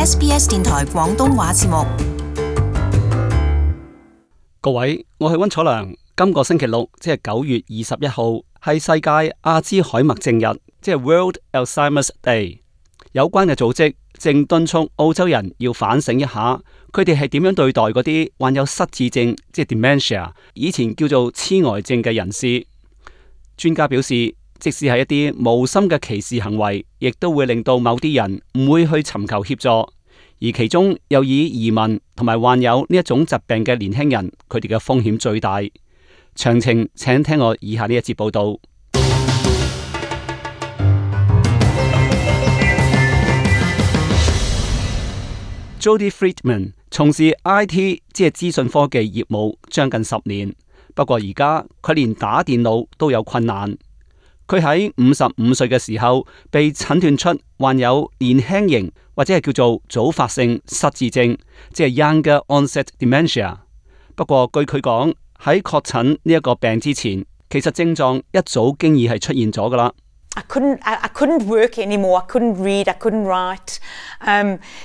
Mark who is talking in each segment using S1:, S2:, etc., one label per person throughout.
S1: SBS 電台廣東話節目。
S2: 各位，我係溫楚良。今個星期六，即係9月21號，係世界阿茲海默症日，即係 World Alzheimer's Day。有關嘅組織正敦促澳洲人要反省一下，佢哋係點樣對待嗰啲患有失智症，即係 dementia， 以前叫做痴呆症嘅人士。專家表示，即使係一啲無心嘅歧視行為，亦都會令到某啲人唔會去尋求協助，而其中又以移民同埋患有呢一種疾病嘅年輕人，佢哋嘅風險最大。詳情請聽我以下呢一節報道。Jodie Friedman 從事 IT 即係資訊科技業務將近10年，不過而家佢連打電腦都有困難。佢喺55歲嘅時候被診斷出患有年輕型或者係叫做早發性失智症，即係 Younger Onset Dementia。不過據佢講，喺確診呢一個病之前，其實症狀一早經已係出現咗噶啦。
S3: I couldn't work anymore. I couldn't read. I couldn't write.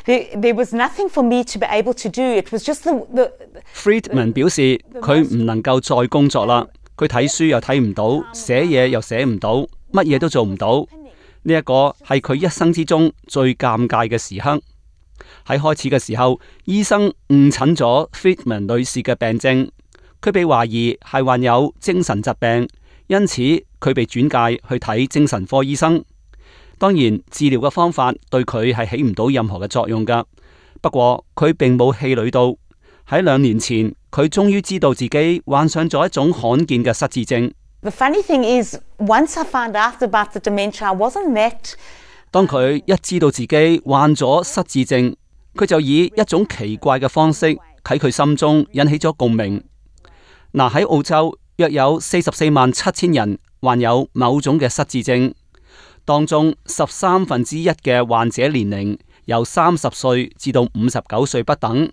S3: There was nothing for me to be able to do. It was just the
S2: Friedman 表示佢唔能夠再工作啦，佢睇書又睇唔到，寫嘢又寫唔到，乜嘢都做唔到。呢一個係佢一生之中最尷尬嘅時刻。喺開始嘅時候，醫生誤診咗 Friedman 女士嘅病症，佢被懷疑係患有精神疾病，因此佢被轉介去睇精神科醫生。當然，治療嘅方法對佢係起唔到任何嘅作用噶。不過佢並冇氣餒到。喺2年前，佢終於知道自己患上咗一種罕見嘅失智症。
S3: The funny thing is, once I found out about the dementia, I wasn't that.
S2: 當佢一知道自己患咗失智症，佢就以一種奇怪嘅方式喺佢心中引起咗共鳴。嗱，喺澳洲約有447000人患有某種嘅失智症，當中1/13嘅患者年齡由30歲至到59歲不等。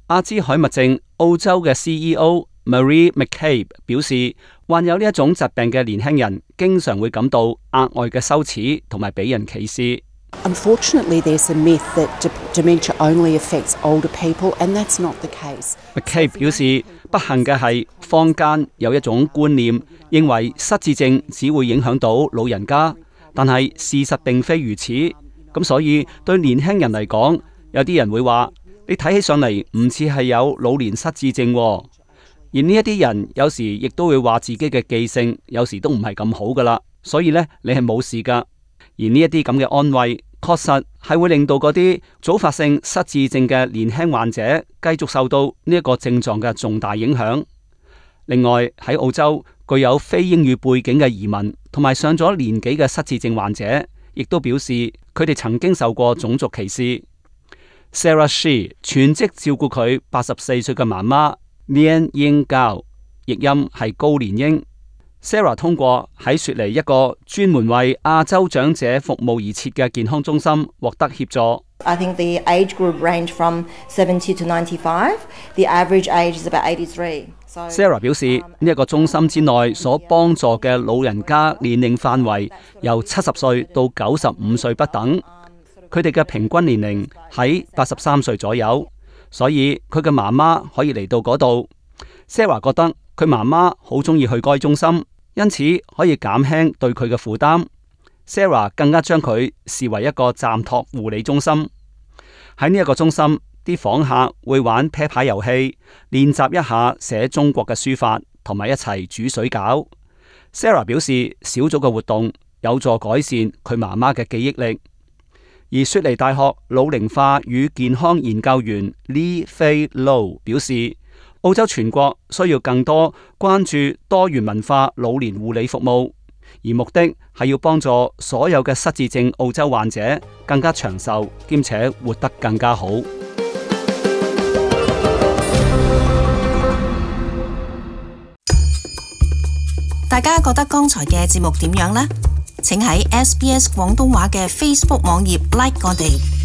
S2: 阿茲海默症澳洲嘅 CEO Marie McCabe 表示，患有呢一種疾病嘅年輕人經常會感到額外嘅羞恥同埋俾人歧視。
S4: Unfortunately, there's a myth that dementia only affects older people, and that's not the case.
S2: McCabe 表示，不幸嘅係坊間有一種觀念，認為失智症只會影響到老人家，但係事實並非如此。咁所以對年輕人嚟講，有啲人會話，你睇起上嚟唔似係有老年失智症喎。而呢一啲人有時亦都會話自己嘅記性有時都唔係咁好噶啦，所以呢，你係冇事噶。而呢一啲咁嘅安慰，確實係會令到嗰啲早發性失智症嘅年輕患者繼續受到呢一個症狀嘅重大影響。另外喺澳洲，具有非英語背景嘅移民同埋上咗年紀嘅失智症患者，亦都表示佢哋曾經受過種族歧視。Sarah She 全職照顧佢84歲嘅媽媽 Lien Ying Gao， 譯音係高連英。Sarah 通過喺雪梨一個專門為亞洲長者服務而設嘅健康中心獲得協助。
S5: I think the age group range from 70 to 95. The average age is about 83.
S2: Sarah 表示，呢一個中心之內所幫助嘅老人家年齡範圍由70歲到95歲不等。佢哋嘅平均年齡喺83歲左右，所以佢嘅媽媽可以嚟到嗰度。Sarah 覺得佢媽媽好中意去該中心，因此可以減輕對佢嘅負擔。Sarah 更加將佢視為一個暫託護理中心。喺呢一個中心，啲訪客會玩啤牌遊戲，練習一下寫中國嘅書法，同埋一齊煮水餃。Sarah 表示，小組嘅活動有助改善佢媽媽嘅記憶力。而雪梨大學老齡化與健康研究員 Lee Fay Low 表示，澳洲全國需要更多關注多元文化老年護理服務，而目的係要幫助所有嘅失智症澳洲患者更加長壽，兼且活得更加好。
S1: 大家覺得剛才嘅節目點樣呢？請喺SBS 廣東話嘅 Facebook 網頁 like 我哋。